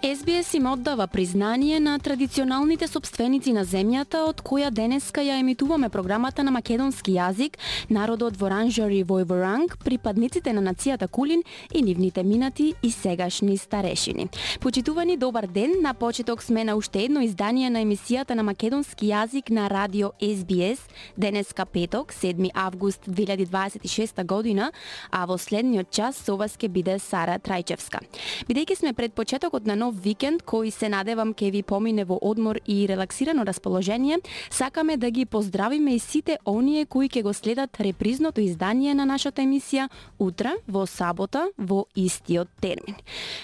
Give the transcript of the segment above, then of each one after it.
СБС им оддава признание на традиционалните сопственици на земјата, од која денеска ја емитуваме програмата на македонски јазик, народот Воранжари Војворанг, припадниците на нацијата Кулин и нивните минати и сегашни старешини. Почитувани, добар ден, на почеток сме на уште едно издание на емисијата на македонски јазик на радио СБС, денеска петок, 7 август 2026 година, а во следниот час со вас ќе биде Сара Трајчевска. Бидејќи сме пред почетокот на нов викенд, кој се надевам ке ви помине во одмор и релаксирано расположение, сакаме да ги поздравиме и сите оние кои ќе го следат репризното издание на нашата емисија утре, во сабота, во истиот термин.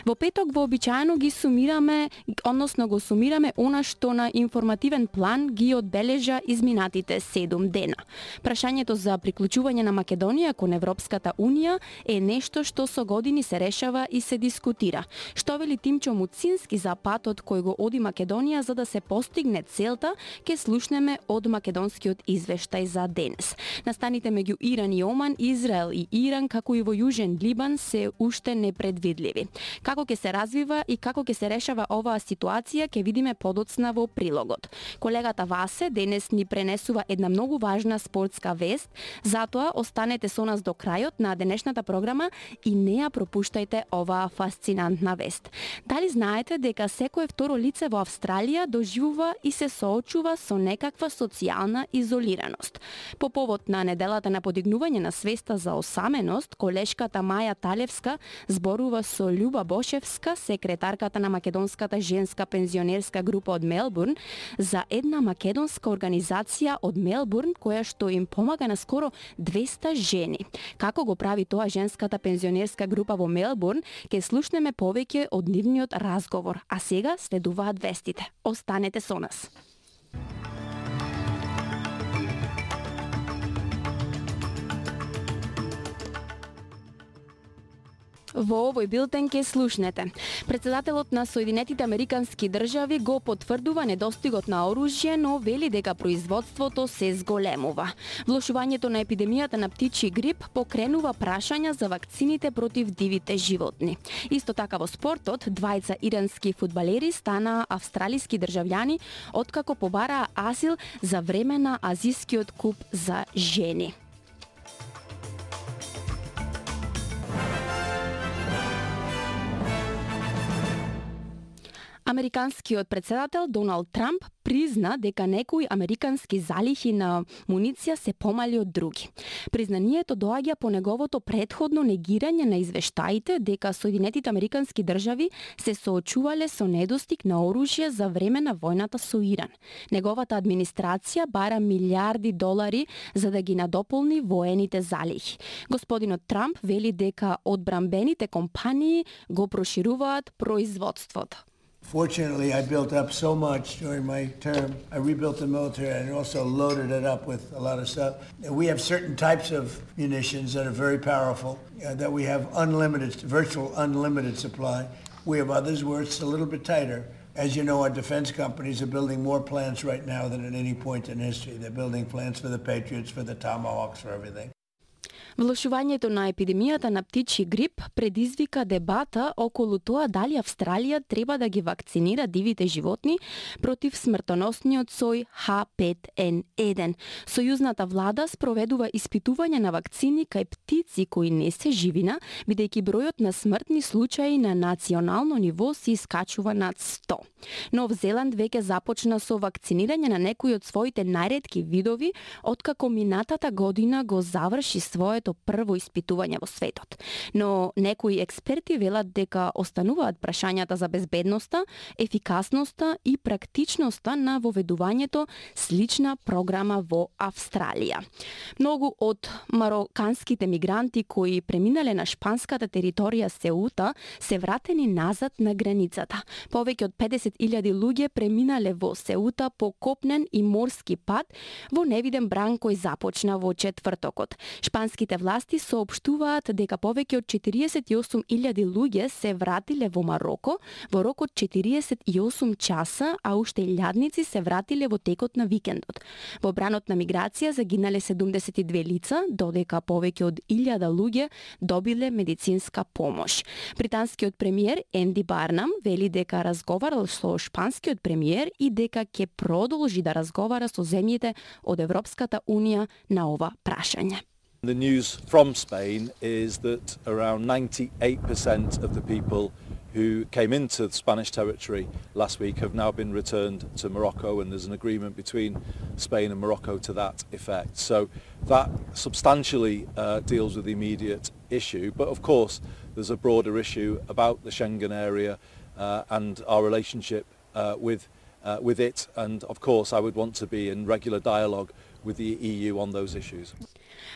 Во петок вообичаено ги сумираме, односно го сумираме она што на информативен план ги одбележа изминатите 7 дена. Прашањето за приклучување на Македонија кон Европската Унија е нешто што со години се решава и се дискутира. Што вели Тимчо Муцински за патот кој го оди Македонија за да се постигне целта, ке слушнеме од македонскиот извештај за денес. Настаните меѓу Иран и Оман, Израел и Иран, како и во Јужен Либан, се уште непредвидливи. Како ќе се развива и како ќе се решава оваа ситуација, ќе видиме подоцна во прилогот. Колегата Васе денес ни пренесува една многу важна спортска вест, затоа останете со нас до крајот на денешната програма и не ја пропуштајте оваа фасцинантна вест. Дали знаете дека секое второ лице во Австралија доживува и се соочува со некаква социјална изолираност? По повод на неделата на подигнување на свеста за осаменост, колешката Маја Талевска зборува со Љуба Бошевска, секретарката на Македонската женска пензионерска група од Мелбурн, за една македонска организација од Мелбурн која што им помага на скоро 200 жени. Како го прави тоа женската пензионерска група во Мелбурн, ќе слушнеме повеќе од нивниот разговор, а сега следуваат вестите. Останете со нас. Во овој билтен ке слушнете. Председателот на Соединетите Американски држави го потврдува недостигот на оружје, но вели дека производството се зголемува. Влошувањето на епидемијата на птичји грип покренува прашања за вакцините против дивите животни. Исто така во спортот, двајца ирански фудбалери стана австралиски државјани откако побараа азил за време на Азискиот куп за жени. Американскиот председател Доналд Трамп призна дека некои американски залихи на муниција се помали од други. Признанието доаѓа по неговото претходно негирање на извештаите дека Соединетите Американски држави се соочувале со недостиг на оружје за време на војната со Иран. Неговата администрација бара милиарди долари за да ги надополни воените залихи. Господинот Трамп вели дека одбранбените компании го прошируваат производството. Fortunately, I built up so much during my term. I rebuilt the military and also loaded it up with a lot of stuff. We have certain types of munitions that are very powerful, that we have virtual unlimited supply. We have others where it's a little bit tighter. As you know, our defense companies are building more plants right now than at any point in history. They're building plants for the Patriots, for the Tomahawks, for everything. Влошувањето на епидемијата на птичји грип предизвика дебата околу тоа дали Австралија треба да ги вакцинира дивите животни против смртоносниот сој H5N1. Сојузната влада спроведува испитување на вакцини кај птици кои не се живина, бидејќи бројот на смртни случаи на национално ниво се искачува над 100. Нов Зеланд веќе започна со вакцинирање на некои од своите најретки видови, откако минатата година го заврши своето прво испитување во светот. Но некои експерти велат дека остануваат прашањата за безбедноста, ефикасноста и практичноста на воведувањето слична програма во Австралија. Многу од мароканските мигранти кои преминале на шпанската територија Сеута се вратени назад на границата. Повеќе од 50.000 луѓе преминале во Сеута по копнен и морски пат во невиден бран кој започна во четвртокот. Шпански британските власти соопштуваат дека повеќе од 48.000 луѓе се вратиле во Мароко во рок од 48 часа, а уште илјадници се вратиле во текот на викендот. Во бранот на миграција загинале 72 лица, додека повеќе од 1000 луѓе добиле медицинска помош. Британскиот премиер Енди Барнам вели дека разговарал со шпанскиот премиер и дека ќе продолжи да разговара со земјите од Европската унија на ова прашање. The news from Spain is that around 98% of the people who came into the Spanish territory last week have now been returned to Morocco, and there's an agreement between Spain and Morocco to that effect. So that substantially deals with the immediate issue, but of course there's a broader issue about the Schengen area and our relationship with it, and of course I would want to be in regular dialogue with the EU on those issues.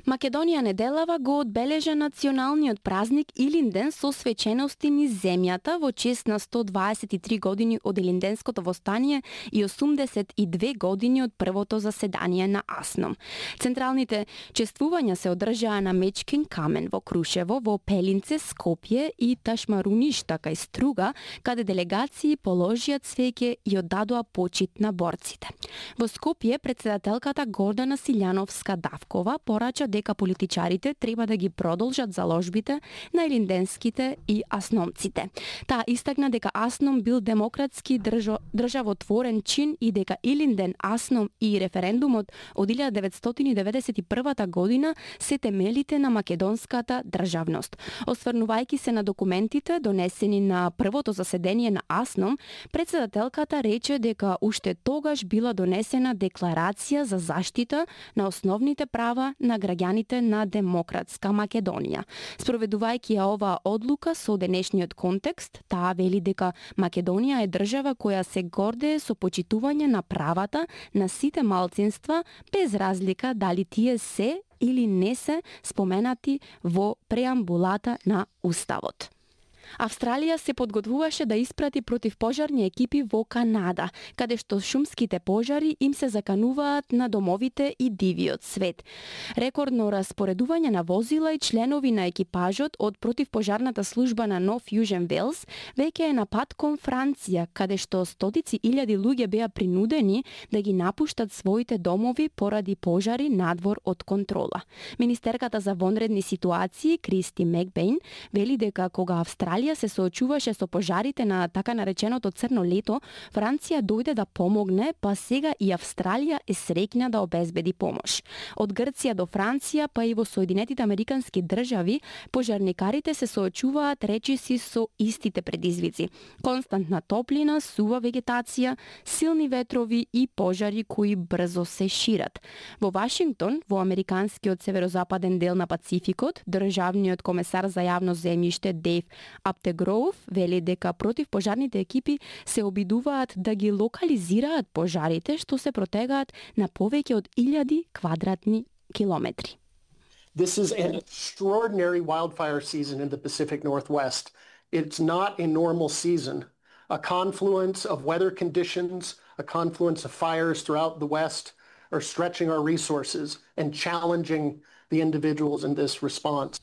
Македонија неделава го одбележа националниот празник Илинден со свечености низ земјата во чест на 123 години од Илинденското востание и 82 години од првото заседание на АСНОМ. Централните чествувања се одржаа на Мечкин камен во Крушево, во Пелинце, Скопје и Ташмаруништа кај Струга, каде делегации положија цвеќе и оддадоа почит на борците. Во Скопје председателката Гордана Силјановска-Давкова порача дека политичарите треба да ги продолжат заложбите на илинденските и асномците. Таа истакна дека АСНОМ бил демократски државотворен чин и дека Илинден, АСНОМ и референдумот од 1991 година се темелите на македонската државност. Осврнувајќи се на документите донесени на првото заседание на АСНОМ, председателката рече дека уште тогаш била донесена декларација за заштита на основните права на граѓаните на демократска Македонија. Спроведувајќи ја оваа одлука со денешниот контекст, таа вели дека Македонија е држава која се гордее со почитување на правата на сите малцинства без разлика дали тие се или не се споменати во преамбулата на Уставот. Австралија се подготвуваше да испрати противпожарни екипи во Канада, каде што шумските пожари им се закануваат на домовите и дивиот свет. Рекордно распоредување на возила и членови на екипажот од противпожарната служба на Нов Јужен Велс веќе е на пат кон Франција, каде што стотици илјади луѓе беа принудени да ги напуштат своите домови поради пожари надвор од контрола. Министерката за вонредни ситуации Кристи Мекбейн вели дека кога Австралија се соочуваше со пожарите на така нареченото црно лето, Франција дојде да помогне, па сега и Австралија е среќна да обезбеди помош. Од Грција до Франција, па и во Соединетите Американски држави, пожарникарите се соочуваат речиси со истите предизвици. Константна топлина, сува вегетација, силни ветрови и пожари кои брзо се шират. Во Вашингтон, во американскиот северозападен дел на Пацификот, државниот комесар за јавно земјиште Дейв Аптегроув вели дека противпожарните екипи се обидуваат да ги локализираат пожарите што се протегаат на повеќе од 1000 квадратни километри. This is an extraordinary wildfire season in the Pacific Northwest. It's not a normal season. A confluence of weather conditions, a confluence of fires throughout the West are stretching our resources and challenging the individuals in this response.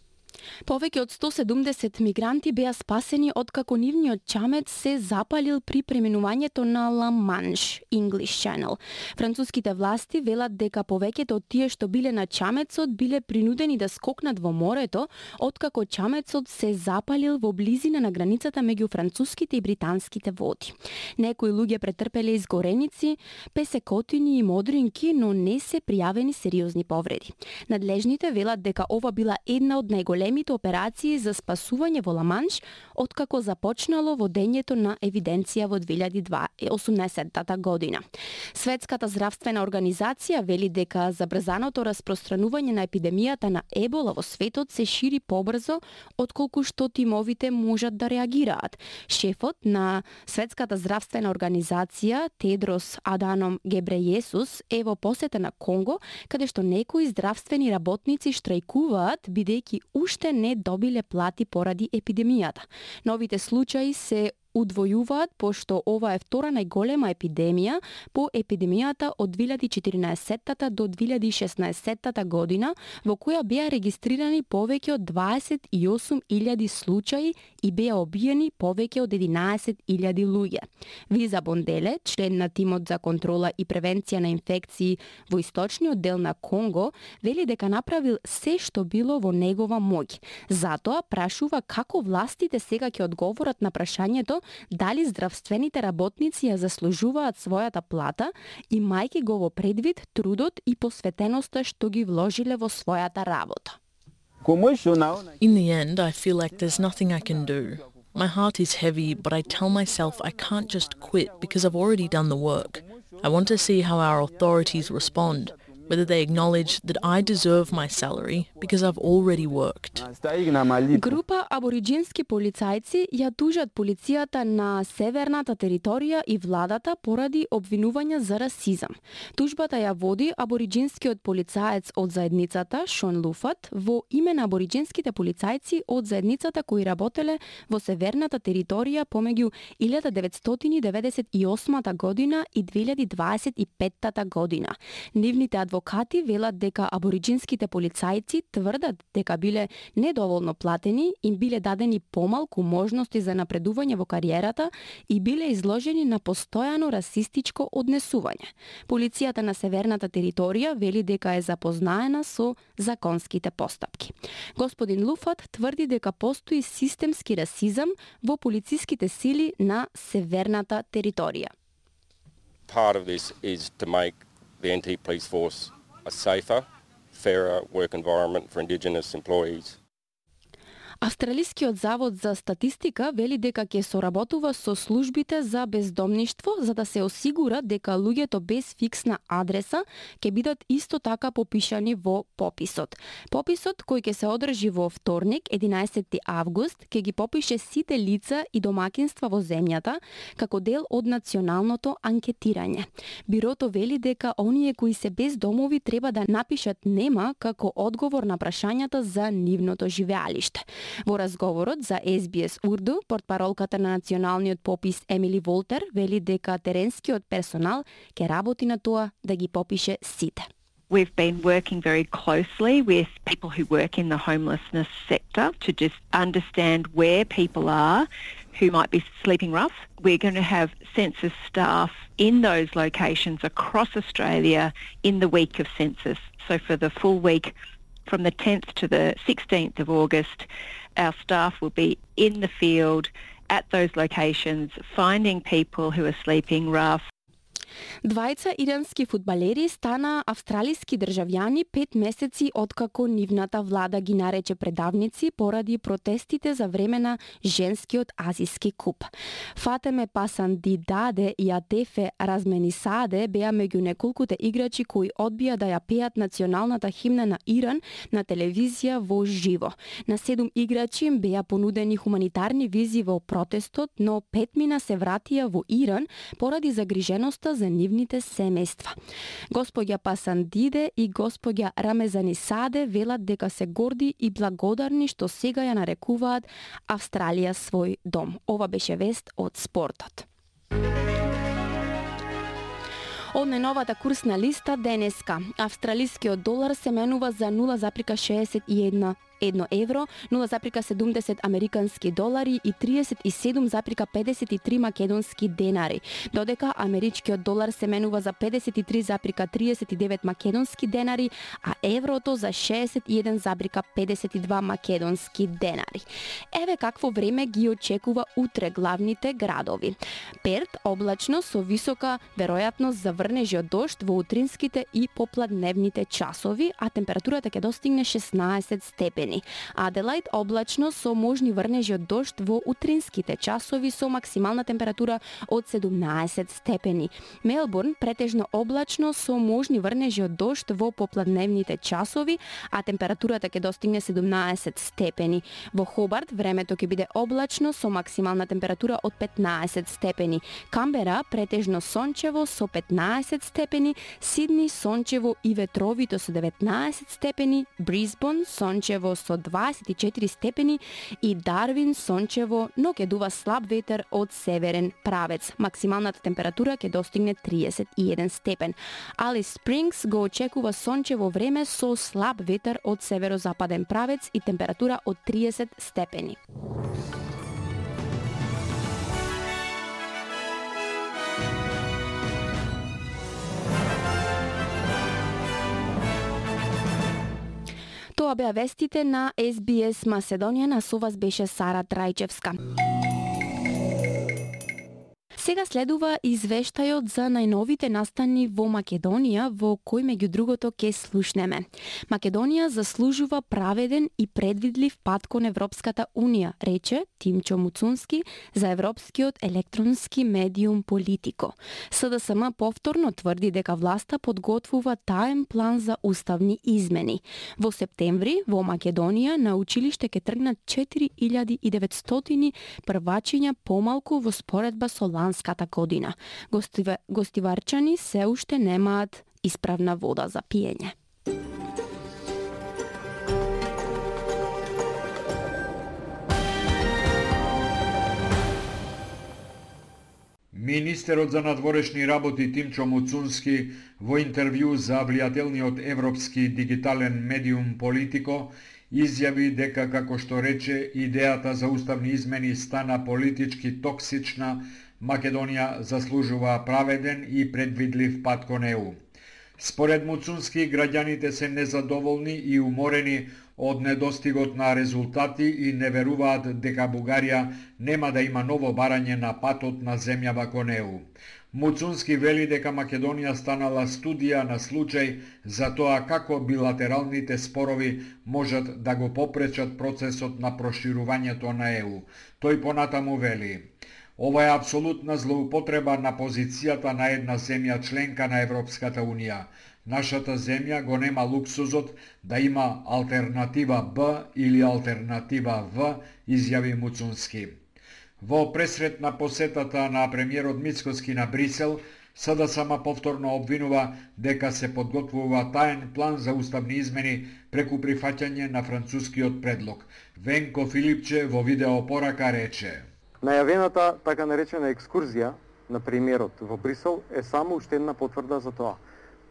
Повеќе од 170 мигранти беа спасени откако нивниот чамец се запалил при преминувањето на Ла Манш, English Channel. Француските власти велат дека повеќето од тие што биле на чамецот биле принудени да скокнат во морето откако чамецот се запалил во близина на границата меѓу француските и британските води. Некои луѓе претрпеле изгореници, песекотини и модринки, но не се пријавени сериозни повреди. Надлежните велат дека ова била една од најголемите операции за спасување во Ла-Манш откако започнало водењето на евиденција во 2018 година. Светската здравствена организација вели дека забрзаното распространување на епидемијата на ебола во светот се шири побрзо отколку што тимовите можат да реагираат. Шефот на Светската здравствена организација Тедрос Аданом Гебрејесус е во посета на Конго, каде што некои здравствени работници штрајкуваат бидејќи уште не добиле плати поради епидемијата. Новите случаи се удвојуваат пошто ова е втора најголема епидемија по епидемијата од 2014 до 2016 година, во која беа регистрирани повеќе од 28.000 случаи и беа обиени повеќе од 11.000 луѓе. Виза Бонделе, член на тимот за контрола и превенција на инфекции во источниот дел на Конго, вели дека направил се што било во негова моќ. Затоа прашува како властите сега ќе одговорат на прашањето дали здравствените работници ја заслужуваат својата плата, имајќи го во предвид трудот и посветеноста што ги вложиле во својата работа. In the end, I feel like there's nothing I can do. My heart is heavy, but I tell myself I can't just quit because I've already done the work. I want to see how our authorities respond, whether they acknowledge that I deserve my salary because I've already worked. Група абориџински полицајци ја тужат полицијата на северната територија и владата поради обвинувања за расизам. Тужбата ја води абориџинскиот полицаец од заедницата Шон Луфат во име на абориџинските полицајци од заедницата кои работеле во северната територија помеѓу 1998 година и 2025 година. Нивните адвокати велат дека абориџинските полицајци тврдат дека биле недоволно платени, им биле дадени помалку можности за напредување во кариерата и биле изложени на постојано расистичко однесување. Полицијата на северната територија вели дека е запознаена со законските постапки. Господин Луфат тврди дека постои системски расизам во полициските сили на северната територија. Part of this is to make the NT Police Force a safer, fairer work environment for Indigenous employees. Австралискиот завод за статистика вели дека ќе соработува со службите за бездомништво за да се осигура дека луѓето без фиксна адреса ќе бидат исто така попишани во пописот. Пописот кој ќе се одржи во вторник, 11 август, ќе ги попише сите лица и домакинства во земјата како дел од националното анкетирање. Бирото вели дека оние кои се без домови треба да напишат нема како одговор на прашањата за нивното живеалиште. Во разговорот за SBS Урду, портпаролката на националниот попис Емили Волтер вели дека теренскиот персонал ќе работи на тоа да ги попише сите. We've been working very closely with people who work in the homelessness sector to just understand where people are who might be sleeping rough. We're going to have census staff in those locations across Australia in the week of census. So for the full week from the 10th to the 16th of August, our staff will be in the field at those locations, finding people who are sleeping rough. Двајца ирански фудбалери стана австралиски државјани 5 месеци откако нивната влада ги нарече предавници поради протестите за време на женскиот азиски куп. Фатеме Пасандидаде и Атефе Разменисаде беа меѓу неколкуте играчи кои одбија да ја пеат националната химна на Иран на телевизија во живо. На 7 играчи им беа понудени хуманитарни визи во протестот, но 5 мина се вратија во Иран поради загриженоста за нивните семејства. Господја Пасандиде и господја Рамезанисаде велат дека се горди и благодарни што сега ја нарекуваат Австралија свој дом. Ова беше вест од спортот. Од најновата курсна листа денеска, австралискиот долар се менува за 0,61 евро, 0,70 американски долари и 37,53 македонски денари, додека америчкиот долар се менува за 53,39 македонски денари, а еврото за 61,52 македонски денари. Еве какво време ги очекува утре главните градови. Перт облачно со висока веројатност за врнежи од дожд во утринските и попладневните часови, а температурата ќе достигне 16 степени. Аделајд облачно со можни врнежи од дожд во утринските часови со максимална температура од 17 степени. Мелбурн претежно облачно со можни врнежи од дожд во попладневните часови, а температурата ќе достигне 17 степени. Во Хобарт времето ќе биде облачно со максимална температура од 15 степени. Камбера претежно сончево со 15 степени, Сидни сончево и ветровито со 19 степени, Брисбон сончево со 24 степени и Дарвин сончево, но ќе дува слаб ветер од северен правец. Максималната температура ќе достигне 31 степен. Алис Спрингс го очекува сончево време со слаб ветер од северозападен правец и температура од 30 степени. Тоа беа вестите на SBS Македонија, на со вас беше Сара Трајчевска. Сега следува извештајот за најновите настани во Македонија, во кој меѓу другото ке слушнеме. Македонија заслужува праведен и предвидлив пат кон Европската Унија, рече Тимчо Муцунски за европскиот електронски медиум Политико. СДСМ повторно тврди дека власта подготвува таен план за уставни измени. Во септември во Македонија на училиште ке тргнат 4900 првачиња помалку во споредба со ланската година. Гостиварчани се уште немаат исправна вода за пиење. Министерот за надворешни работи Тимчо Муцунски во интервју за влијателниот европски дигитален медиум Политико изјави дека, како што рече, идејата за уставни измени стана политички токсична. Македонија заслужува праведен и предвидлив пат кон ЕУ. Според Муцунски, граѓаните се незадоволни и уморени од недостигот на резултати и не веруваат дека Бугарија нема да има ново барање на патот на земјава кон ЕУ. Муцунски вели дека Македонија станала студија на случај за тоа како билатералните спорови можат да го попречат процесот на проширувањето на ЕУ. Тој понатаму вели: ова е апсолутна злоупотреба на позицијата на една земја членка на Европската Унија. Нашата земја го нема луксузот да има алтернатива Б или алтернатива В, изјави Муцунски. Во пресрет на посетата на премиерот Мицкоски на Брисел, СДСМ повторно обвинува дека се подготвува таен план за уставни измени преку прифаќање на францускиот предлог. Венко Филипче во видеопорака рече: најавената така наречена екскурзија на премиерот во Брисел е само уште една потврда за тоа.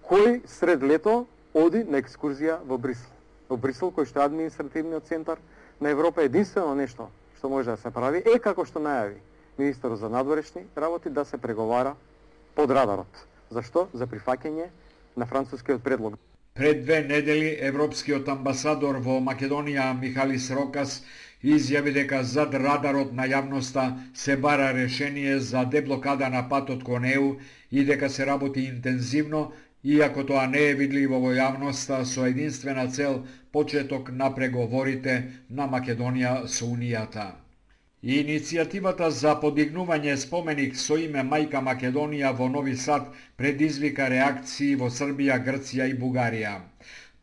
Кој сред лето оди на екскурзија во Брисел? Во Брисел, кој што е административниот центар на Европа, единствено нешто што може да се прави е, како што најави министерот за надворешни работи, да се преговара под радарот. Зашто? За прифаќање на францускиот предлог. Пред 2 недели европскиот амбасадор во Македонија Михалис Рокас изјави дека зад радарот на јавноста се бара решение за деблокада на патот кон ЕУ и дека се работи интензивно, иако тоа не е видливо во јавноста, со единствена цел почеток на преговорите на Македонија со Унијата. Иницијативата за подигнување споменик со име Мајка Македонија во Нови Сад предизвика реакции во Србија, Грција и Бугарија.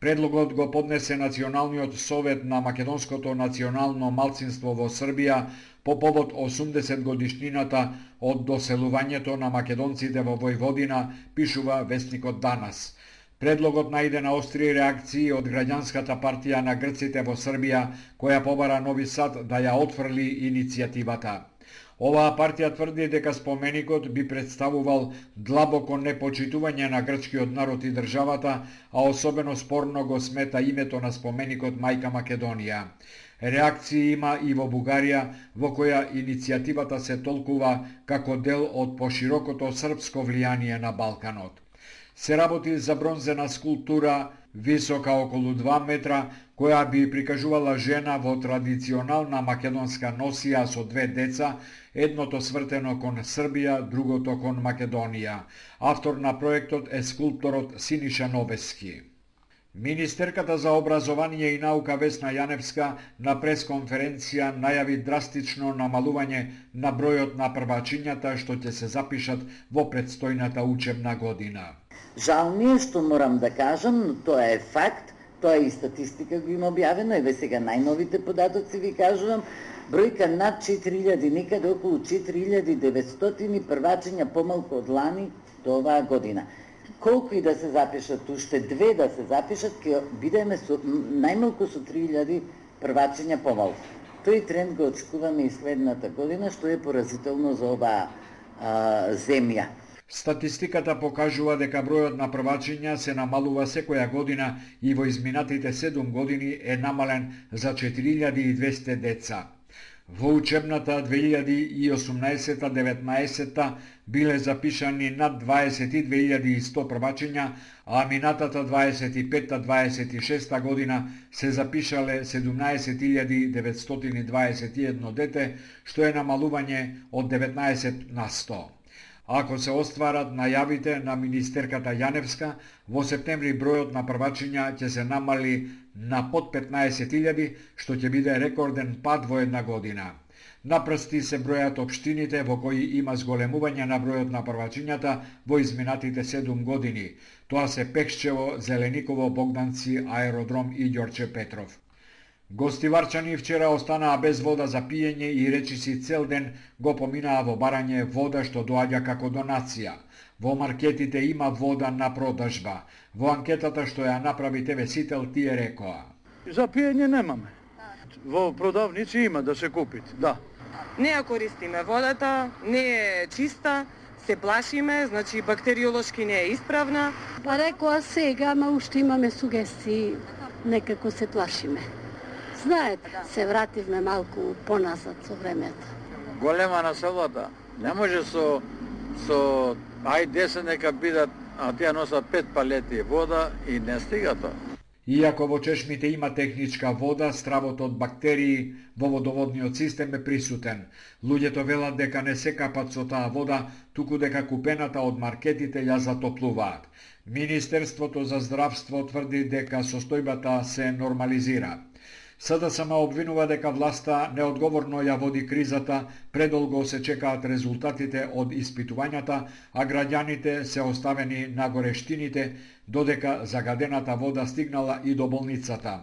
Предлогот го поднесе Националниот совет на македонското национално малцинство во Србија по повод 80 годишнината од доселувањето на македонците во Војводина, пишува вестникот Данас. Предлогот најде на остри реакции од граѓанската партија на грците во Србија, која побара Нови Сад да ја отфрли иницијативата. Оваа партија тврди дека споменикот би представувал длабоко непочитување на грчкиот народ и државата, а особено спорно го смета името на споменикот Мајка Македонија. Реакции има и во Бугарија, во која иницијативата се толкува како дел од поширокото српско влијание на Балканот. Се работи за бронзена скулптура висока околу 2 метра, која би прикажувала жена во традиционална македонска носија со 2 деца, едното свртено кон Србија, другото кон Македонија. Автор на проектот е скулпторот Синиша Новески. Министерката за образование и наука Весна Јаневска на пресконференција најави драстично намалување на бројот на првачињата што ќе се запишат во предстојната учебна година. Жал ми е што морам да кажам, но тоа е факт, тоа и статистика го има објавено, еве сега најновите податоци ви кажувам, бројка над 4000, некаде околу 4900 првачиња помалку од лани до оваа година. колку и да се запишат, уште 2 да се запишат, ќе бидеме со најмалку со 3000 првачења помалку. Тој тренд го очекуваме и следната година, што е поразително за оваа земја. Статистиката покажува дека бројот на првачења се намалува секоја година и во изминатите 7 години е намален за 4200 деца. Во учебната 2018-19 биле запишани над 22.100 првачења, а минатата 25-26 година се запишале 17.921 дете, што е намалување од 19%. Ако се остварат најавите на министерката Јаневска, во септември бројот на првачења ќе се намали на под 15.000, што ќе биде рекорден пад во една година. На прсти се бројат општините во кои има зголемување на бројот на првачењата во изминатите 7 години. Тоа се Пекшчево, Зелениково, Богданци, Аеродром и Ѓорче Петров. Гостиварчани вчера останаа без вода за пиење и речиси цел ден го поминаа во барање вода што доаѓа како донација. Во маркетите има вода на продажба. Во анкетата што ја направи ТВ Сител тие рекоа: за пиење немаме. Во продавници има да се купите, да. Не ја користиме водата, не е чиста, се плашиме, значи бактериолошки не е исправна. Па рекоа сега, ама уште имаме сугестии, некако се плашиме. Знаете, се вративме малку поназад со времето. Голема населбата, не може со ај 10 нека бидат, а тие носат 5 палети вода и не стига тоа. Иако во чешмите има техничка вода, стравот од бактерии во водоводниот систем е присутен. Луѓето велат дека не се капат со таа вода, туку дека купената од маркетите ја затоплуваат. Министерството за здравство тврди дека состојбата се нормализира. СДСМ обвинува дека власта неодговорно ја води кризата, предолго се чекаат резултатите од испитувањата, а граѓаните се оставени на горештините, додека загадената вода стигнала и до болницата.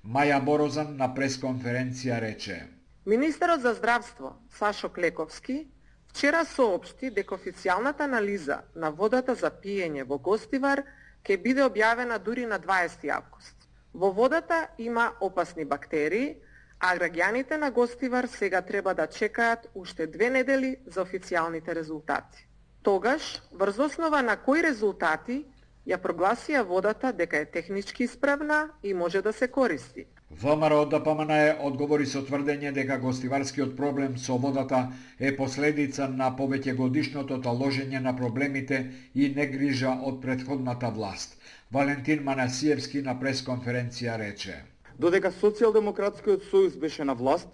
Маја Борозан на пресконференција рече: Министерот за здравство Сашо Клековски вчера соопшти дека официјалната анализа на водата за пиење во Гостивар ќе биде објавена дури на 20 август. Во водата има опасни бактерии, а граѓаните на Гостивар сега треба да чекаат уште 2 недели за официјалните резултати. Тогаш, врз основа на кои резултати ја прогласија водата дека е технички исправна и може да се користи. ВМРО ДПМН одговори со тврдење дека гостиварскиот проблем со водата е последица на повеќегодишното таложење на проблемите и негрижа од претходната власт. Валентин Манасиевски на пресконференција рече: Додека Социјалдемократскиот сојуз беше на власт,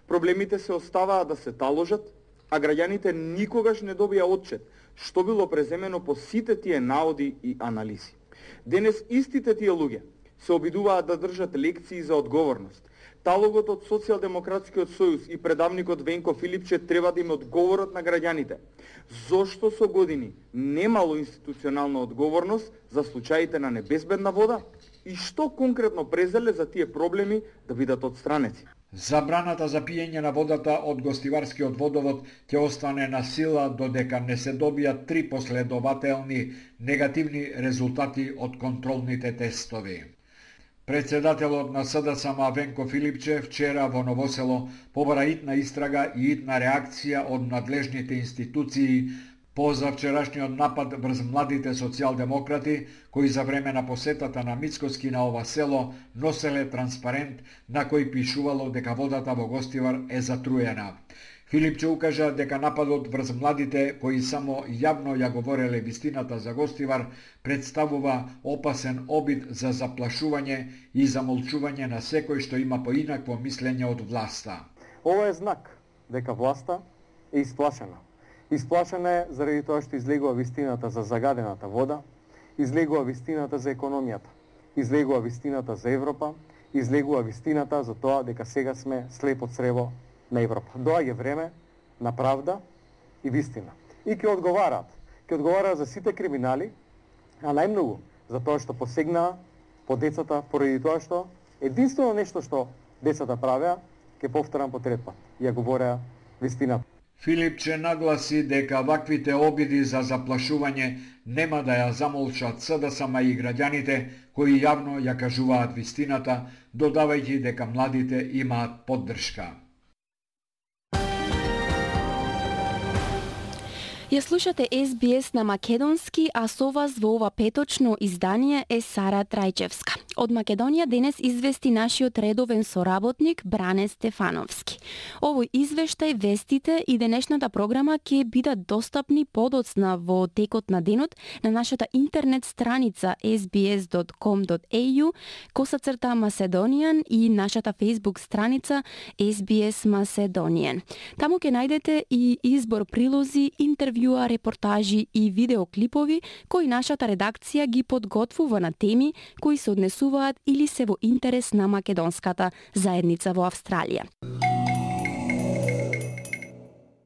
проблемите се оставаа да се таложат, а граѓаните никогаш не добија отчет што било преземено по сите тие наоди и анализи. Денес истите тие луѓе се обидуваат да држат лекции за одговорност. Талогот од Социјалдемократскиот сојуз и предавникот Венко Филипче треба да им одговорат на граѓаните. Зошто со години немало институционална одговорност за случаите на небезбедна вода и што конкретно презеле за тие проблеми да бидат отстранети? Забраната за пиење на водата од гостиварскиот водовод ќе остане на сила додека не се добијат 3 последователни негативни резултати од контролните тестови. Председателот на СДСМ Венко Филипче вчера во Новосело побара итна истрага и итна реакција од надлежните институции по завчерашниот напад врз младите социјалдемократи кои за време на посетата на Мицкоски на ова село носеле транспарент на кој пишувало дека водата во Гостивар е затруена. Филипче укажа дека нападот врз младите кои само јавно ја говореле вистината за Гостивар представува опасен обид за заплашување и замолчување на секој што има поинакво мислење од власта. Ова е знак дека власта е исплашена. Исплашена е заради тоа што излегува вистината за загадената вода, излегува вистината за економијата, излегува вистината за Европа, излегува вистината за тоа дека сега сме слепо црево на Европа. Доаѓа време на правда и вистина. И ќе одговараат за сите криминали, а најмногу за тоа што посегнаа по децата поради тоа што единствено нешто што децата правеа, ќе повторам по трет пат, ја говореа вистината. Филипче нагласи дека ваквите обиди за заплашување нема да ја замолчат СДСМ и граѓаните кои јавно ја кажуваат вистината, додавајќи дека младите имаат поддршка. Ја слушате SBS на македонски, а со вас во ова петочно издание е Сара Трајчевска. Од Македонија денес извести нашиот редовен соработник Бране Стефановски. Овој извештај, вестите и денешната програма ќе бидат достапни подоцна во текот на денот на нашата интернет страница sbs.com.au/Macedonian и нашата Facebook страница SBS Macedonian. Таму ќе најдете и избор прилози, интервјуа, репортажи и видеоклипови кои нашата редакција ги подготвува на теми кои се однесуваат или се во интерес на македонската заедница во Австралија.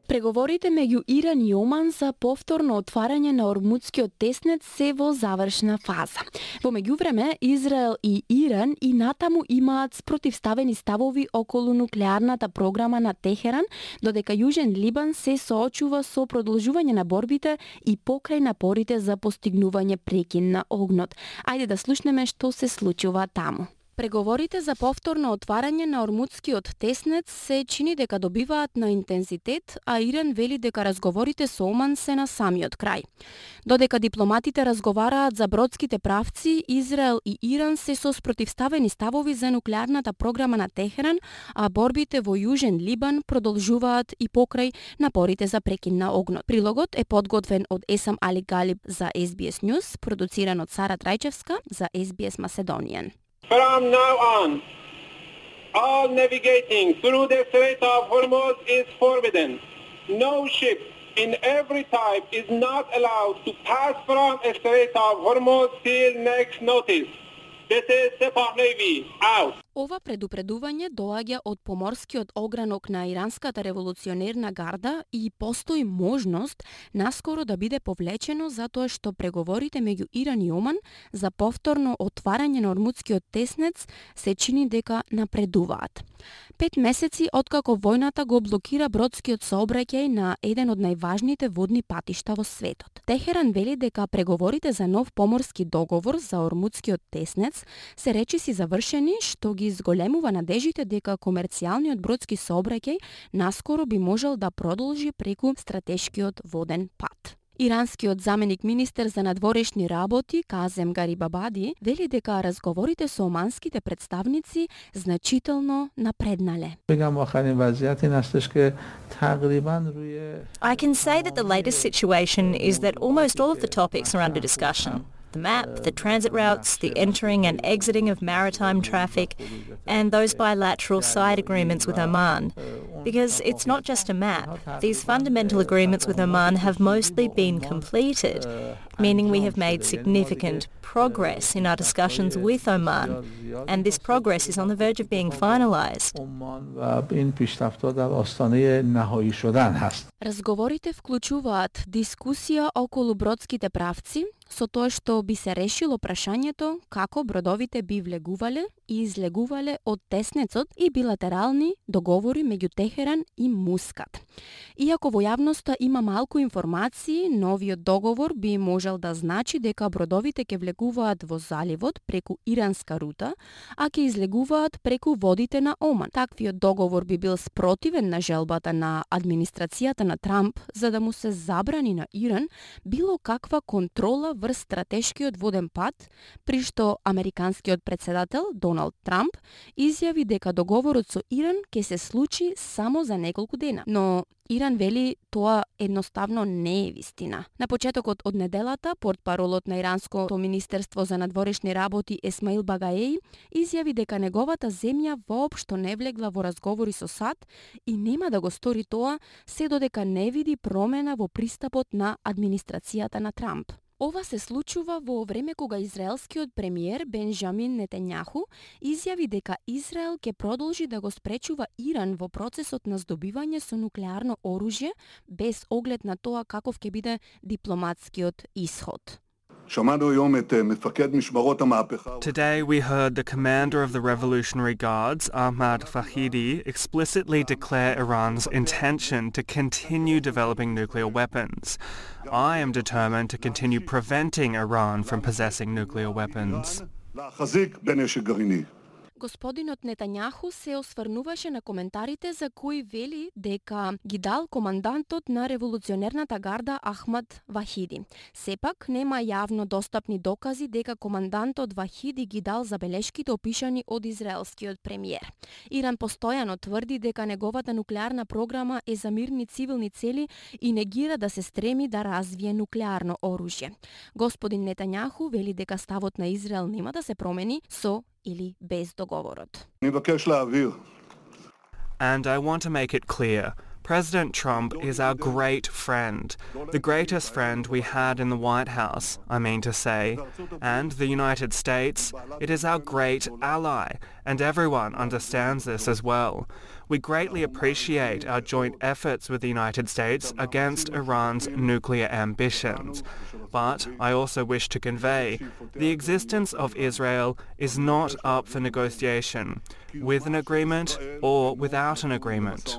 Преговорите меѓу Иран и Оман за повторно отварање на Ормудскиот теснет се во завршна фаза. Во меѓувреме, Израел и Иран и натаму имаат спротивставени ставови околу нуклеарната програма на Техеран, додека Јужен Либан се соочува со продолжување на борбите и покрај напорите за постигнување прекин на огнот. Ајде да слушнеме што се случува таму. Преговорите за повторно отварање на Ормудскиот теснет се чини дека добиваат на интензитет, а Иран вели дека разговорите со Оман се на самиот крај. Додека дипломатите разговараат за бродските правци, Израел и Иран се со спротивставени ставови за нуклеарната програма на Техеран, а борбите во Јужен Либан продолжуваат и покрај напорите за прекин на огнот. Прилогот е подготвен од Есам Али Галиб за SBS News, продуциран од Сара Трајчевска за SBS Macedonian. From now on, all navigating through the Strait of Hormuz is forbidden. No ship in every type is not allowed to pass from the Strait of Hormuz till next notice. This is Sepah Navy, out. Ова предупредување доаѓа од поморскиот огранок на Иранската револуционерна гарда и постои можност наскоро да биде повлечено затоа што преговорите меѓу Иран и Оман за повторно отварање на Ормудскиот теснец се чини дека напредуваат. 5 месеци откако војната го блокира бродскиот сообраќај на еден од најважните водни патишта во светот. Техеран вели дека преговорите за нов поморски договор за Ормудскиот теснец се речиси завршени, што ги изголемува надежите дека комерцијалниот бродски сообраќај наскоро би можел да продолжи преку стратешкиот воден пат. Иранскиот заменик министер за надворешни работи Казем Гарибабади вели дека разговорите со оманските представници значително напреднале. I can say that the latest situation is that almost all of the topics are under discussion. The map, the transit routes, the entering and exiting of maritime traffic, and those bilateral side agreements with Oman. Because it's not just a map. These fundamental agreements with Oman have mostly been completed, meaning we have made significant progress in our discussions with Oman, and this progress is on the verge of being finalized. Разговорите вклучуваат дискусија околу бродските правци, со тоа што би се решило прашањето како бродовите би влегувале и излегувале од теснецот и билатерални договори меѓу Техеран и Мускат. Иако во јавноста има малку информации, новиот договор би можел да значи дека бродовите ќе влегуваат во заливот преку иранска рута, а ќе излегуваат преку водите на Оман. Таквиот договор би бил спротивен на желбата на администрацијата на Трамп за да му се забрани на Иран било каква контрола врз стратешкиот воден пат, при што американскиот председател Доналд Трамп изјави дека договорот со Иран ќе се случи само за неколку дена. Но Иран вели тоа едноставно не е вистина. На почетокот од неделата, портпаролот на Иранското министерство за надворешни работи Есмаил Багаеј изјави дека неговата земја воопшто не влегла во разговори со САД и нема да го стори тоа се додека не види промена во пристапот на администрацијата на Трамп. Ова се случува во време кога израелскиот премиер Бенџамин Нетањаху изјави дека Израел ќе продолжи да го спречува Иран во процесот на здобивање со нуклеарно оружје без оглед на тоа каков ќе биде дипломатскиот исход. Today we heard the commander of the Revolutionary Guards, Ahmad Fahidi, explicitly declare Iran's intention to continue developing nuclear weapons. I am determined to continue preventing Iran from possessing nuclear weapons. Господинот Нетањаху се осврнуваше на коментарите за кои вели дека ги дал командантот на револуционерната гарда Ахмад Вахиди. Сепак нема јавно достапни докази дека командантот Вахиди ги дал забелешките опишани од израелскиот премиер. Иран постојано тврди дека неговата нуклеарна програма е за мирни цивилни цели и негира да се стреми да развие нуклеарно оружје. Господин Нетањаху вели дека ставот на Израел нема да се промени со или без договорот. And I want to make it clear, President Trump is our great friend, the greatest friend we had in the White House, I mean to say, and the United States, it is our great ally, and everyone understands this as well. We greatly appreciate our joint efforts with the United States against Iran's nuclear ambitions. But I also wish to convey, the existence of Israel is not up for negotiation, with an agreement or without an agreement.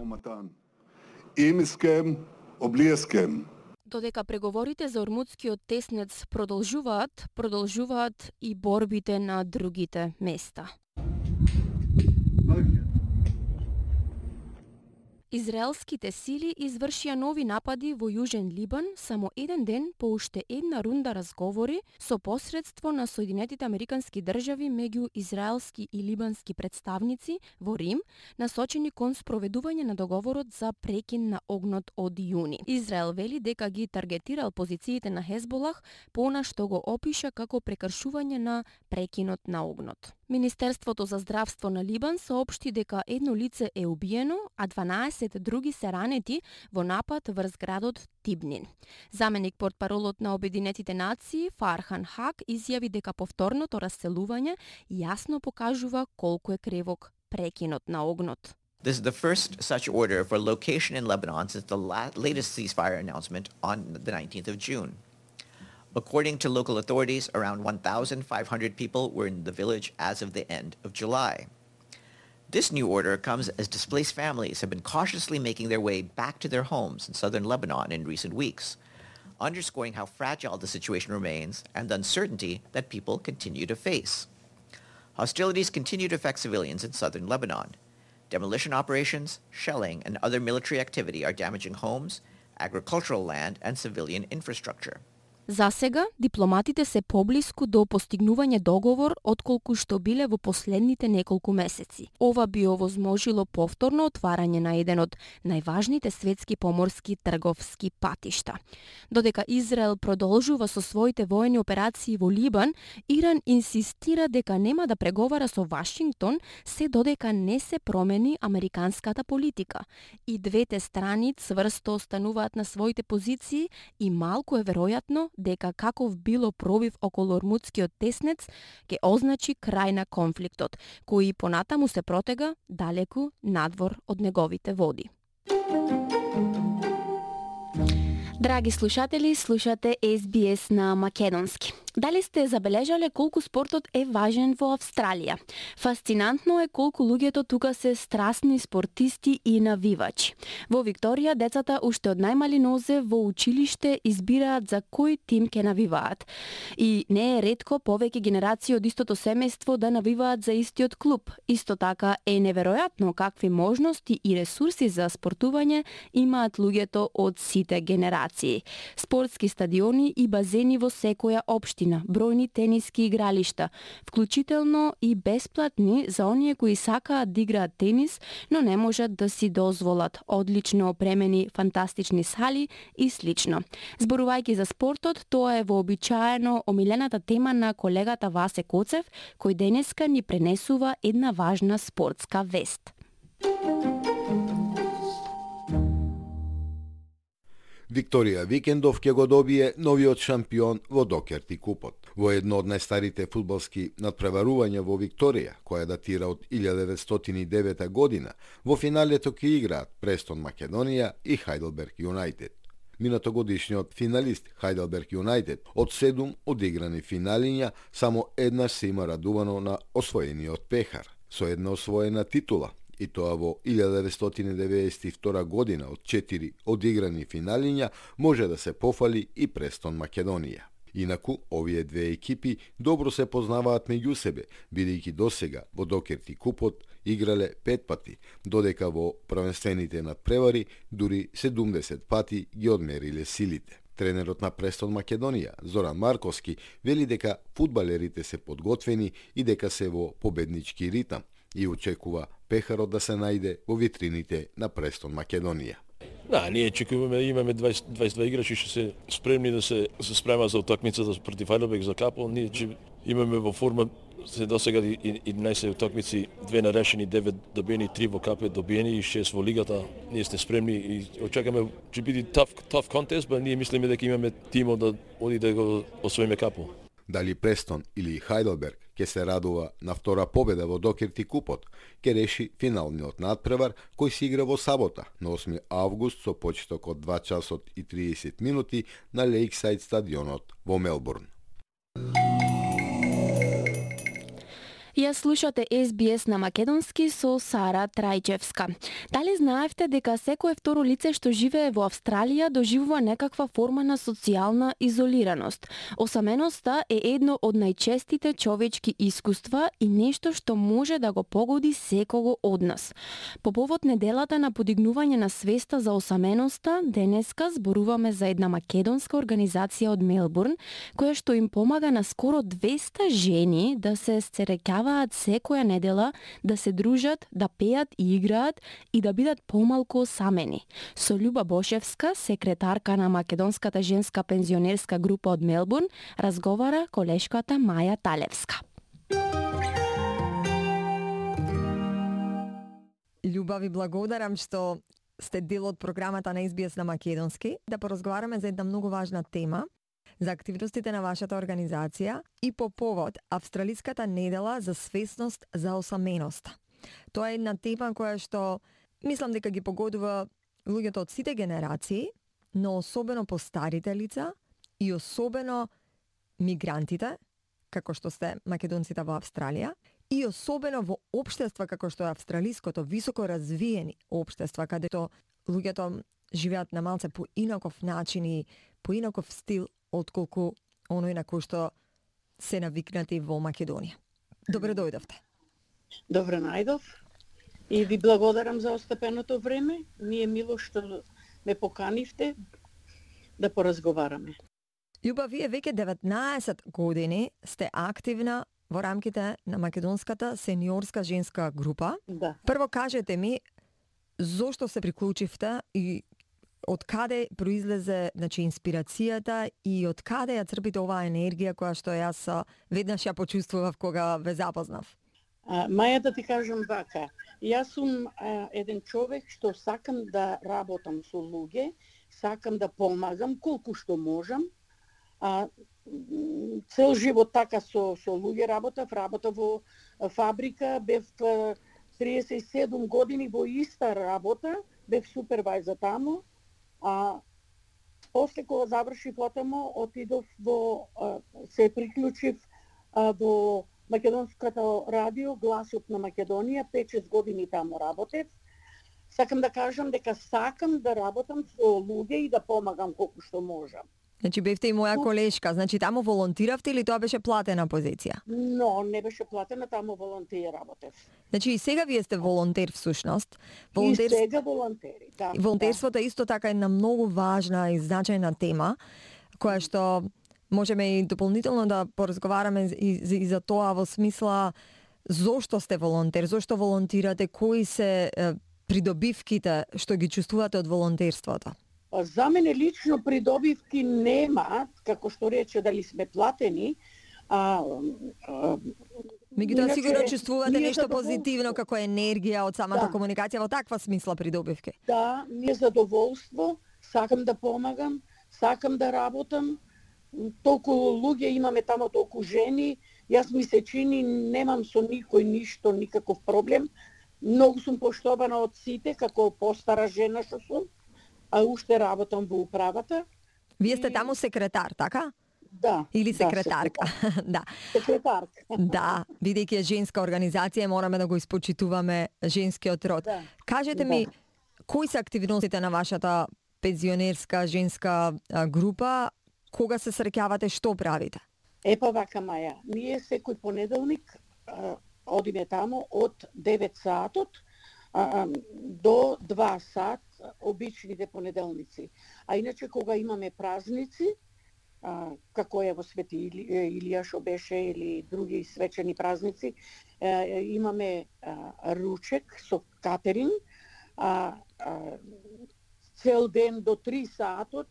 Додека преговорите за Ормудскиот теснец продолжуваат и борбите на другите места. Израелските сили извршија нови напади во Јужен Либан само еден ден по уште една рунда разговори со посредство на Соединетите Американски држави меѓу израелски и либански представници во Рим, насочени кон спроведување на договорот за прекин на огнот од јуни. Израел вели дека ги таргетирал позициите на Хезболах, понашто го опиша како прекршување на прекинот на огнот. Министерството за здравство на Либан соопшти дека едно лице е убиено, а 12 други се ранети во напад врз градот Тибнин. Заменик портпаролот на Обединетите нации Фархан Хак изјави дека повторното расселување јасно покажува колку е кревок прекинот на огнот. This is the first such order for location in Lebanon since the latest ceasefire announcement on the 19th of June. According to local authorities, around 1,500 people were in the village as of the end of July. This new order comes as displaced families have been cautiously making their way back to their homes in southern Lebanon in recent weeks, underscoring how fragile the situation remains and the uncertainty that people continue to face. Hostilities continue to affect civilians in southern Lebanon. Demolition operations, shelling, and other military activity are damaging homes, agricultural land, and civilian infrastructure. За сега, дипломатите се поблиску до постигнување договор отколку што биле во последните неколку месеци. Ова би овозможило повторно отварање на еден од најважните светски поморски трговски патишта. Додека Израел продолжува со своите воени операции во Либан, Иран инсистира дека нема да преговара со Вашингтон се додека не се промени американската политика. И двете страни цврсто остануваат на своите позиции и малку е веројатно дека каков било пробив околу Ормудскиот теснец ќе означи крај на конфликтот, кој понатаму се протега далеку надвор од неговите води. Драги слушатели, слушате SBS на македонски. Дали сте забележале колку спортот е важен во Австралија? Фасцинантно е колку луѓето тука се страстни спортисти и навивачи. Во Викторија, децата уште од најмали нозе во училиште избираат за кој тим ќе навиваат. И не е ретко повеќе генерации од истото семејство да навиваат за истиот клуб. Исто така е неверојатно какви можности и ресурси за спортување имаат луѓето од сите генерации. Спортски стадиони и базени во секоја општина, бројни тениски игралишта, вклучително и бесплатни за оние кои сакаат да играат тенис, но не можат да си дозволат, одлично опремени фантастични сали и слично. Зборувајќи за спортот, тоа е вообичаено омилената тема на колегата Васе Коцев, кој денеска ни пренесува една важна спортска вест. Викторија Викендов ќе го добие новиот шампион во Докерти купот. Во едно од најстарите фудбалски надпреварувања во Викторија, која датира од 1909 година, во финалето ќе играат Престон Македонија и Хайделберг Юнајтед. минатогодишниот финалист Heidelberg United. Од 7 одиграни финалиња, само еднаш се има радувано на освоениот пехар, со една освоена титула, и тоа во 1992 година. Од 4 одиграни финалиња може да се пофали и Престон Македонија. Инаку, овие две екипи добро се познаваат меѓу себе, бидејќи досега во Докерти купот играле 5 пати, додека во првенствените надпревари дури 70 пати ги одмериле силите. Тренерот на Престон Македонија, Зоран Марковски, вели дека фудбалерите се подготвени и дека се во победнички ритам и очекува пехарот да се најде во витрините на Престон Македонија. Да, ние имаме 22 играчи што се спремни да се спрема за утакмицата против Heidelberg за капо. Ние имаме во форма се досега 11 утакмици, 2 нарешени, 9 добиени, 3 во капе добиени и 6 во лигата. Ние сме спремни и очекаме ќе биде tough contest, but ние мислиме дека имаме тимо да оди да го освоиме капо. Дали Престон или Heidelberg ќе се радува на втора победа во Докерти купот, ќе реши финалниот надпревар кој се игра во сабота на 8 август со почеток од 2 часот и 30 минути на Лейксайд стадионот во Мелбурн. Ја слушате SBS на македонски со Сара Трајчевска. Дали знаевте дека секое второ лице што живее во Австралија доживува некаква форма на социјална изолираност? Осаменоста е едно од најчестите човечки искуства и нешто што може да го погоди секого од нас. По повод неделата на подигнување на свеста за осаменоста, денеска зборуваме за една македонска организација од Мелбурн, која што им помага на скоро 200 жени да се сцерекаваат секоја недела, да се дружат, да пеат и играат и да бидат помалку осамени. Со Љуба Бошевска, секретарка на Македонската женска пензионерска група од Мелбурн, разговара колешката Маја Талевска. Љуба, ви благодарам што сте дел од програмата на SBS на македонски, да поразговараме за една многу важна тема, за активностите на вашата организација и по повод Австралиската недела за свесност за осаменоста. Тоа е една тема која што мислам дека ги погодува луѓето од сите генерации, но особено постарите лица и особено мигрантите, како што сте македонците во Австралија, и особено во општества како што е австралиското, високо развиени општества, кадето луѓето живеат на малце по инаков начин и по инаков стил отколку оној на кој што се навикнати во Македонија. Добре дојдовте. Добре најдов и ви благодарам за остапеното време. Ми е мило што ме поканивте да поразговараме. Љуба, вие веќе 19 години сте активна во рамките на Македонската сениорска женска група. Да. Прво кажете ми, зошто се приклучивте и од каде произлезе, значи, инспирацијата и од каде ја црпите оваа енергија која што јас веднаш ја почувствував кога ве запознав? Маја, да ти кажам вака, јас сум еден човек што сакам да работам со луѓе, сакам да помагам колку што можам. Цел живот така со луѓе работа во фабрика, бев 37 години во иста работа, бев супервајзер таму. После кога завршив отамо, отидов се приклучив во Македонското радио, Гласот на Македонија, 5-6 години таму работев. Сакам да кажам дека сакам да работам со луѓе и да помагам колку што можам. Значи бевте и моја колешка, значи таму волонтиравте или тоа беше платена позиција? Но, не беше платена, таму волонтер работев. Значи и сега вие сте волонтер всушност. И сега волонтери, да. Волонтерството е исто така една многу важна и значајна тема, која што можеме и дополнително да поразговараме и за тоа во смисла зошто сте волонтер, зошто волонтирате, кои се придобивките што ги чувствувате од волонтерството? За мене лично придобивки нема, како што рече, дали сме платени. Меѓутоа сигурно чувствувате нешто позитивно како енергија од самата комуникација, во таква смисла придобивки. Да, ми е задоволство, сакам да помагам, сакам да работам. Толку луѓе имаме тамо, толку жени. Јас ми се чини, немам со никој ништо, никаков проблем. Многу сум поштована од сите, како постара жена што сум. а уште работам во управата. Вие сте таму секретар, така? Да. Или секретарка. Да. Секретарка. Да, бидејќи е женска организација, мораме да го испочитуваме женскиот род. Да. Кажете ми, кои се активностите на вашата пензионерска женска група? Кога се среќавате, што правите? Епа вака, Маја, ние секој понеделник одиме таму од 9 саатот до 2 сат, обичните понеделници. А иначе кога имаме празници, како е во Свети Илија што беше, или други свечени празници, имаме ручек со катеринг, цел ден до 3 саатот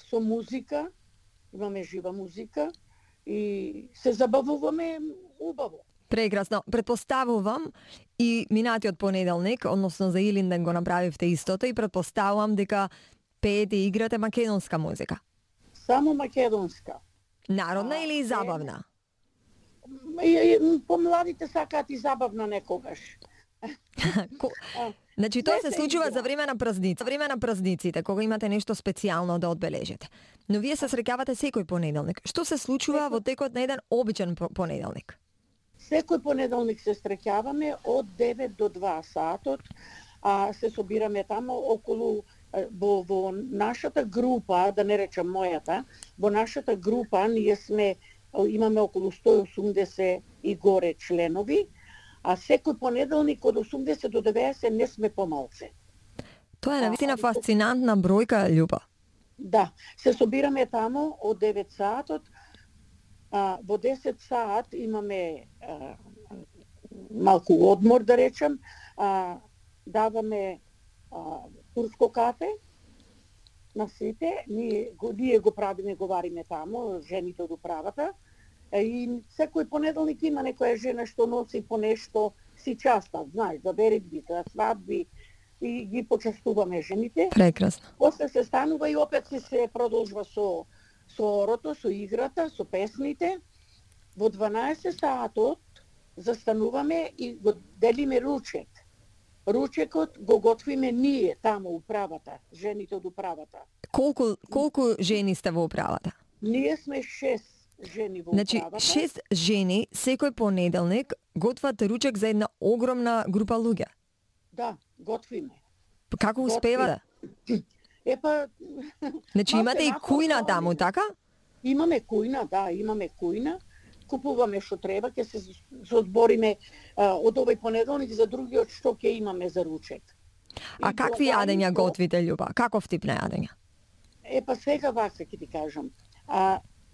со музика, имаме жива музика и се забавуваме убаво. Прекрасно. Претпоставувам и минатиот понеделник, односно за Илинден го направивте истото и претпоставувам дека пеете и играте македонска музика. Само македонска. Народна или забавна? Помладите сакаат и забавна некогаш. Значи тоа се случува за време на празници. За време на празниците, кога имате нешто специјално да одбележите. Но вие се среќавате секој понеделник. Што се случува во текот на еден обичен понеделник? Секој понеделник се среќаваме од 9 до 2 саатот, се собираме таму околу во нашата група, да не речам мојата, во нашата група ние имаме околу 180 и горе членови, а секој понеделник од 80 до 90 не сме помалце. Тоа е навистина фасцинантна бројка, Љуба. Да, се собираме таму од 9 саатот, во 10 саат имаме малку одмор, да речем, даваме турско кафе на сите, ние го правиме, говориме таму, жените од управата, и секој понеделник има некоја жена што носи по нешто, си частат, знаеш, за беритби, за свадби, и ги почастуваме жените. Прекрасно. После се станува и опет се продолжува со орото, со играта, со песните. Во 12 саатот застануваме и го делиме ручек. Ручекот го готвиме ние таму управата, жените од управата. Колку жени сте во управата? Ние сме 6 жени во значи, управата. 6 жени секој понеделник готват ручек за една огромна група луѓе. Да, готвиме. Како успевате? Епа... Значи имате и кујна таму, така? Имаме кујна, да, имаме кујна. Купуваме што треба, ќе се одбориме од овој понеделник за другиот што ќе имаме за ручек. А какви јадења готвите, Љуба? Каков тип на јадења? Епа сега вака ќе ти кажам.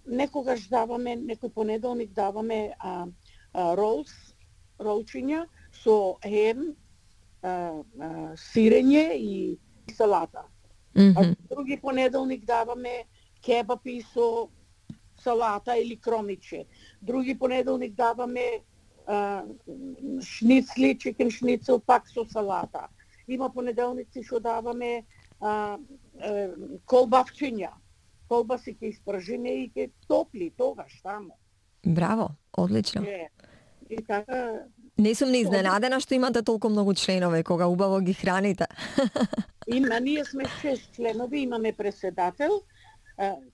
Некогаш даваме, некој понеделник даваме ролчиња со хем, сирење и салата. Други понеделник даваме кебапи со салата или кромиче. Други понеделник даваме шницли, чикен шницел пак со салата. Има понеделници што даваме колбавчиња. Колбаси ќе испржиме и ќе топли тогаш таму. Браво, одлично. И така... Не сум ни изненадена што имате толку многу членови, кога убаво ги храните. Ние сме 6 членови, имаме председател.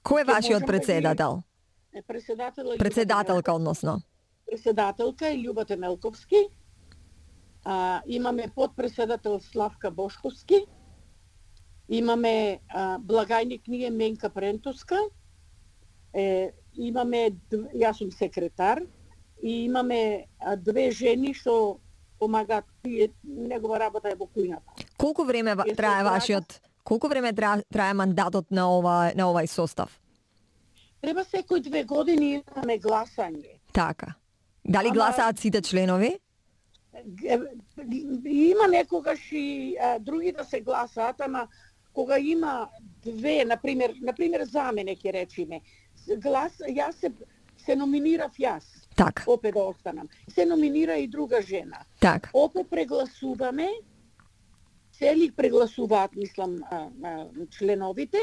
Кој е вашиот председател? Председателка, односно. Председателка е Љуба Темелковски. Имаме подпредседател Славка Бошковски. Имаме благајник ние Менка Прентоска. Имаме, јас сум секретар. И имаме 2 жени што помагаат, негова работа е во кујната. Колку време трае мандатот на овај состав? Треба секој 2 години имаме гласање. Така. Дали гласаат сите членови? Има некогаш и други да се гласаат, ама кога има 2, например за мене ќе речиме, јас се номинирав јас. Так. Опет да останам. Се номинира и друга жена. Так. Опет прегласуваме, цели прегласуваат, мислам, членовите,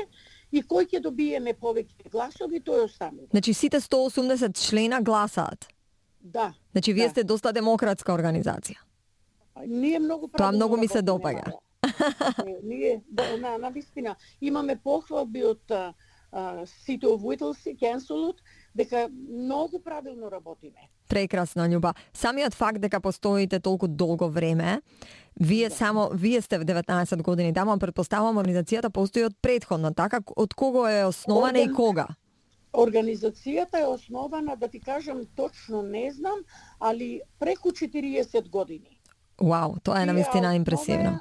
и кој ќе добиеме повеќе гласови, тој останува. Значи сите 180 члена гласаат? Да. Значи вие сте доста демократска организација. Ние многу тоа многу ми се допаѓа. Ние на вистина имаме похвалби од City of Whittlesey, Councilот, дека многу правилно работиме. Прекрасно, Љуба. Самиот факт дека постоите толку долго време, вие сте в 19 години таму, претпоставувам организацијата постои од претходно, така? Од кого е основана и кога? Организацијата е основана, да ти кажам точно не знам, али преку 40 години. Вау, тоа е навистина импресивно.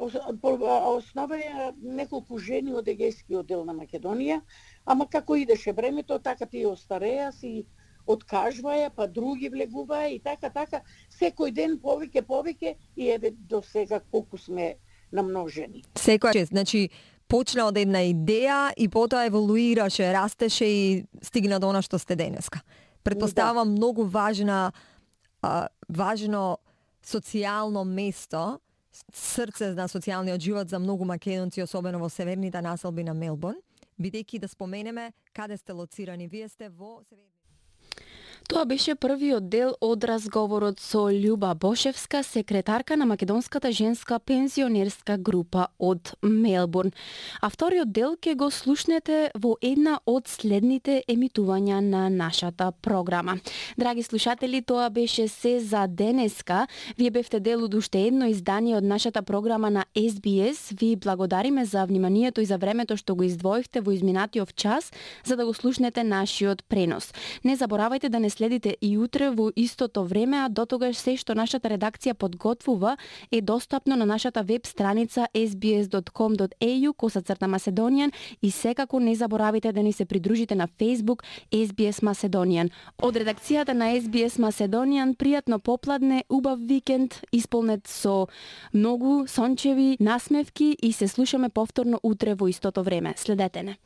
Основа е неколку жени од егејскиот дел на Македонија, ама како идеше времето, така тие остареа, си откажваја, па други влегуваја и така, секој ден повеќе и еве до сега колку сме намножени. Секој, значи, почна од една идеја и потоа еволуираше, растеше и стигна до она што сте денеска. Претпоставам многу важно социјално место, срце на социјалниот живот за многу македонци, особено во северните населби на Мелбурн, бидејќи да споменеме каде сте лоцирани. Вие сте во северните. Тоа беше првиот дел од разговорот со Љуба Бошевска, секретарка на Македонската женска пензионерска група од Мелбурн. А вториот дел ќе го слушнете во една од следните емитувања на нашата програма. Драги слушатели, тоа беше се за денеска. Вие бевте дел од уште едно издание од нашата програма на SBS. Ви благодариме за вниманието и за времето што го издвоивте во изминатиот час за да го слушнете нашиот пренос. Не заборавајте да не следите и утре во истото време, а дотогаш се што нашата редакција подготвува е достапно на нашата веб страница sbs.com.au/Macedonian и секако не заборавајте да ни се придружите на Facebook SBS Macedonian. Од редакцијата на SBS Macedonian пријатно попладне, убав викенд, исполнет со многу сончеви насмевки и се слушаме повторно утре во истото време. Следете не.